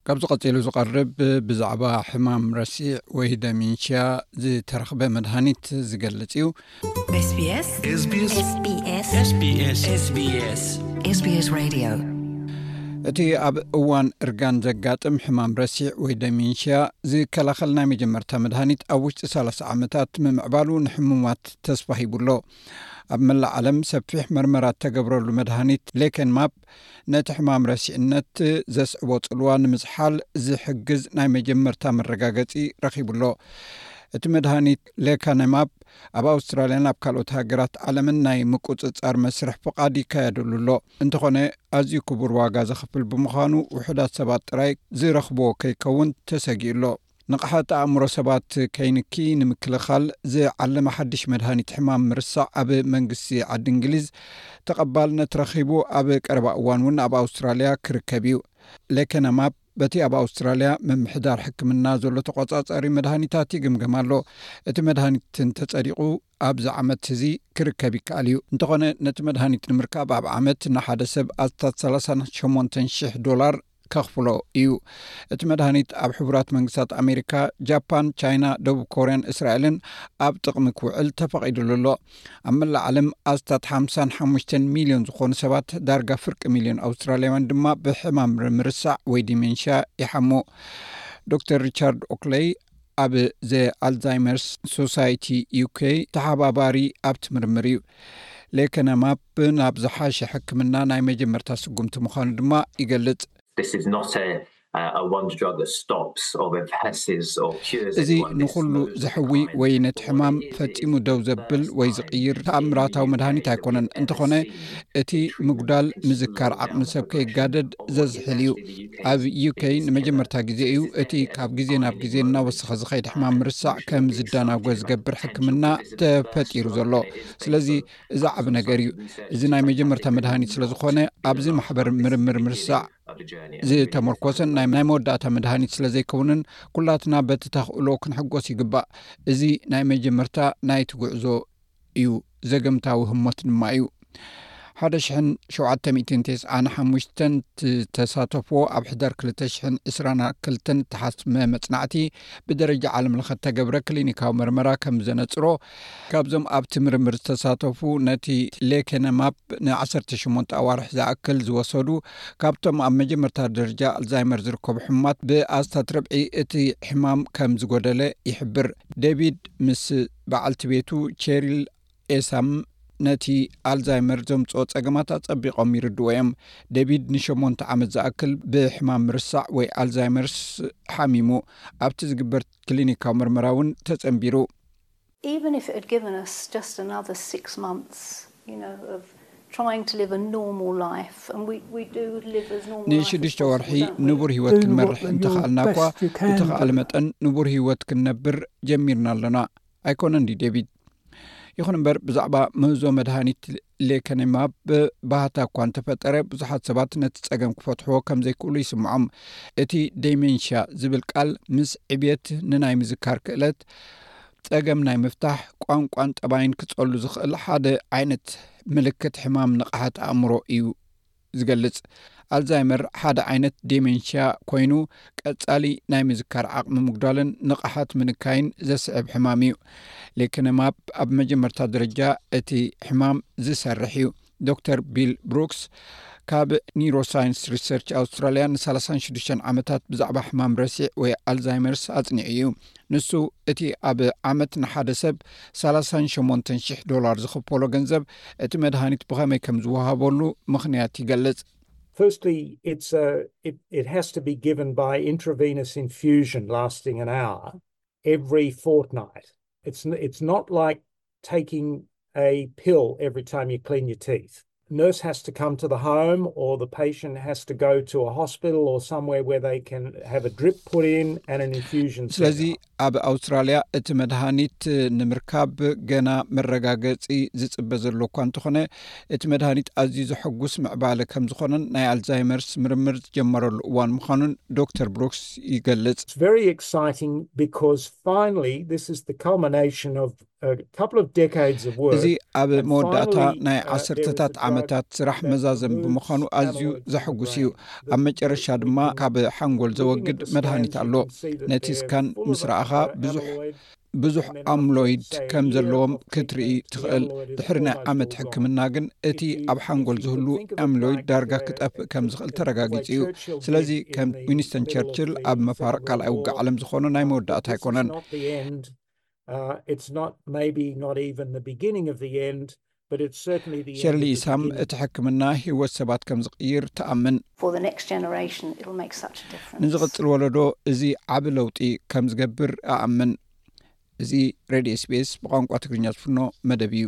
ካብዚ ቀጺሉ ዝቐርብ ብዛዕባ ሕማም ረሲዕ ወይ ደሚንሽያ ዝተረኽበ መድሃኒት ዝገልጽ እዩ። SBS SBS SBS SBS SBS Radio። እቲ ኣብ እዋን እርጋን ዘጋጥም ሕማም ረሲዕ ወይ ደሚንሽያ ዝከላኸል ናይ መጀመርታ መድሃኒት ኣብ ውሽጢ ሰላሳ ዓመታት ምምዕባሉ ንሕሙማት ተስፋ ሂቡ ኣሎ። ኣብ መላእ ዓለም ሰፊሕ መርመራ እተገብረሉ መድሃኒት ሌከንማፕ ነቲ ሕማም ረሲዕነት ዘስዕቦ ጽልዋ ንምዝሓል ዝሕግዝ ናይ መጀመርታ መረጋገጺ ረኺቡ ኣሎ። እቲ መድሃኒት ሌካነማፕ ኣብ ኣውስትራልያን ኣብ ካልኦት ሃገራት ዓለምን ናይ ምቁጽጻር መስርሕ ፍቓድ ይካየደሉ ኣሎ። እንተኾነ ኣዝዩ ክቡር ዋጋ ዘኽፍል ብምዃኑ ውሑዳት ሰባት ጥራይ ዝረኽብዎ ከይከውን ተሰጊኡ ኣሎ። ንቕሓት ኣእምሮ ሰባት ከይንኪ ንምክልኻል ዝዓለመ ሓድሽ መድሃኒት ሕማም ምርሳዕ ኣብ መንግስቲ ዓዲ እንግሊዝ ተቐባልነት ረኺቡ ኣብ ቀረባ እዋን እውን ኣብ ኣውስትራልያ ክርከብ እዩ። ሌከነማፕ በቲ ኣብ ኣውስትራልያ ምምሕዳር ሕክምና ዘሎ ተቆጻጻሪ መድሃኒታት ይግምገም ኣሎ። እቲ መድሃኒት እንተጸዲቑ ኣብዚ ዓመት እዚ ክርከብ ይከኣል እዩ። እንተኾነ ነቲ መድሃኒት ንምርካብ ኣብ ዓመት ንሓደ ሰብ ኣስታት ሰላሳን ሸሞንተን ሽሕ ዶላር ከኽፍሎ እዩ። እቲ መድሃኒት ኣብ ሕቡራት መንግስታት ኣሜሪካ፣ ጃፓን፣ ቻይና፣ ደቡብ ኮርያን እስራኤልን ኣብ ጥቕሚ ክውዕል ተፈቒዱሉ ኣሎ። ኣብ መላእ ዓለም ኣስታት ሓምሳን ሓሙሽተን ሚልዮን ዝኾኑ ሰባት፣ ዳርጋ ፍርቂ ሚልዮን ኣውስትራልያውያን ድማ ብሕማም ምርሳዕ ወይ ዲሜንሽያ ይሓሙ። ዶክተር ሪቻርድ ኦክለይ ኣብ ዘ ኣልዛይመርስ ሶሳይቲ ዩኬ ተሓባባሪ ኣብቲ ምርምር እዩ። ሌከነማፕ ናብ ዝሓሸ ሕክምና ናይ መጀመርታ ስጉምቲ ምዃኑ ድማ ይገልጽ። This is not a, a wonder drug that stops or reverses or cures እዚ anyone. This ንኹሉ moves ዘሕዊ kind ወይ of ነቲ ሕማም what it is. ፈጺሙ ደው ዘብል ወይ ዝቕይር ተኣምራታዊ መድሃኒት ኣይኮነን። እንተኾነ እቲ ምጉዳል ምዝካር ዓቕሚ ሰብ ከይጋደድ ዘዝሕል እዩ። ኣብ ዩኬ ንመጀመርታ ግዜ እዩ እቲ ካብ ግዜ ናብ ግዜ እናወሰኸ ዝኸይድ ሕማም ምርሳዕ ከም ዝደናጎ ዝገብር ሕክምና ተፈጢሩ ዘሎ። ስለዚ እዚ ዓቢ ነገር እዩ። እዚ ናይ መጀመርታ መድሃኒት ስለ ዝኾነ ኣብዚ ማሕበር ምርምር ምርሳዕ ዝተመርኮሰን ናይ ናይ መወዳእታ መድሃኒት ስለ ዘይከውንን ኩላትና በቲ ተኽእሎ ክንሕጎስ ይግባእ። እዚ ናይ መጀመርታ ናይቲ ጉዕዞ እዩ። ዘገምታዊ ህሞት ድማ እዩ። ሓደ ሽሕን ሸውዓተ ሚእትን ተስዓን ሓሙሽተን ተሳተፍዎ ኣብ ሕዳር ክልተ ሽሕን ዕስራን ክልተን ተሓስመ መጽናዕቲ ብደረጃ ዓለም ለኸ ተገብረ ክሊኒካዊ መርመራ ከም ዘነጽሮ፣ ካብዞም ኣብቲ ምርምር ዝተሳተፉ ነቲ ሌኬነማፕ ንዓሰርተ ሸሞንተ ኣዋርሕ ዝኣክል ዝወሰዱ፣ ካብቶም ኣብ መጀመርታ ደረጃ ኣልዛይመር ዝርከቡ ሕሙማት ብኣስታት ርብዒ እቲ ሕማም ከም ዝጎደለ ይሕብር። ዴቪድ ምስ በዓልቲ ቤቱ ቼሪል ኤሳም ነቲ ኣልዛይመር ዘምጽኦ ጸገማት ኣጸቢቖም ይርድዎ እዮም። ዴቪድ ንሸሞንተ ዓመት ዝኣክል ብሕማም ምርሳዕ ወይ ኣልዛይመርስ ሓሚሙ። ኣብቲ ዝግበር ክሊኒካዊ መርመራ እውን ተጸንቢሩ። Even if it had given us just another six months, you know, of trying to live a normal life, and we, we do live as normal life as ንሽዱሽተ possible, ወርሒ don't we? ንቡር ህይወት Do ክንመርሕ what you እንተኽኣልና እኳ best you can. ብተኽኣለ መጠን ንቡር ህይወት ክንነብር ጀሚርና ኣለና። ኣይኮነን ድዩ ዴቪድ? ይኹን እምበር ብዛዕባ ምህዞ መድሃኒት ሌከኔማብ ባህታ እኳ እንተፈጠረ ብዙሓት ሰባት ነቲ ጸገም ክፈትሕዎ ከም ዘይክእሉ ይስምዖም። እቲ ዴሜንሽያ ዝብል ቃል ምስ ዕብየት ንናይ ምዝካር ክእለት ጸገም ናይ ምፍታሕ ቋንቋን ጠባይን ክጸሉ ዝኽእል ሓደ ዓይነት ምልክት ሕማም ንቕሓት ኣእምሮ እዩ ዝገልጽ። ኣልዛይመር ሓደ ዓይነት ዴሜንሽያ ኮይኑ ቀጻሊ ናይ ምዝካር ዓቕሚ ምጉዳልን ንቕሓት ምንካይን ዘስዕብ ሕማም እዩ። ሌከነማብ ኣብ መጀመርታ ደረጃ እቲ ሕማም ዝሰርሕ እዩ። ዶክተር ቢል ብሩክስ ካብ ኒውሮሳይንስ ሪሰርች ኣውስትራልያ ንሰላሳን ሽዱሽተን ዓመታት ብዛዕባ ሕማም ረሲዕ ወይ ኣልዛይመርስ ኣጽኒዑ እዩ። ንሱ እቲ ኣብ ዓመት ንሓደ ሰብ ሰላሳን ሸሞንተን ሽሕ ዶላር ዝኽፈሎ ገንዘብ እቲ መድሃኒት ብኸመይ ከም ዝወሃበሉ ምኽንያት ይገልጽ። Firstly, it's a, it, it has to be given by intravenous infusion lasting an hour every fortnight. It's, n- it's not like taking a pill every time you clean your teeth. Nurse has to come to the home, or the patient has to go to a hospital or somewhere where they can have a drip put in and an infusion set ስለዚ up. ኣብ ኣውስትራልያ እቲ መድሃኒት ንምርካብ ገና መረጋገጺ ዝጽበ ዘሎ እኳ እንተኾነ፣ እቲ መድሃኒት ኣዝዩ ዘሐጉስ ምዕባለ ከም ዝኾነን ናይ ኣልዛይመርስ ምርምር ዝጀመረሉ እዋን ምዃኑን ዶክተር ብሩክስ ይገልጽ። It's very exciting because finally this is the culmination of a couple of decades of work. እዚ ኣብ መወዳእታ ናይ ዓሰርተታት ዓመታት ስራሕ መዛዘም ብምዃኑ ኣዝዩ ዘሐጉስ እዩ። ኣብ መጨረሻ ድማ ካብ ሓንጎል ዘወግድ መድሃኒት ኣሎ። ነቲ ስካን ምስ ረኣኻ ብዙሕ ብዙሕ ኣምሎይድ ከም ዘለዎም ክትርኢ ትኽእል። ድሕሪ ናይ ዓመት ሕክምና ግን እቲ ኣብ ሓንጎል ዝህሉ ኣምሎይድ ዳርጋ ክጠፍእ ከም ዝኽእል ተረጋጊጹ እዩ። ስለዚ ከም ዊንስተን ቸርችል ኣብ መፋርቕ ካልኣይ ውግእ ዓለም ዝኾነ ናይ መወዳእታ ኣይኮነን። Uh, it's not maybe not even the beginning of the end, but it's certainly the ሸርሊ ኢሳም እቲ ሕክምና ህይወት ሰባት ከም ዝቕይር ትኣምን። For the next generation, it'll make such a difference. ንዝቕጽል ወለዶ እዚ ዓቢ ለውጢ ከም ዝገብር እኣምን። እዚ ሬድዮ ኤስቢኤስ ብቋንቋ ትግርኛ ዝፍኖ መደብ እዩ።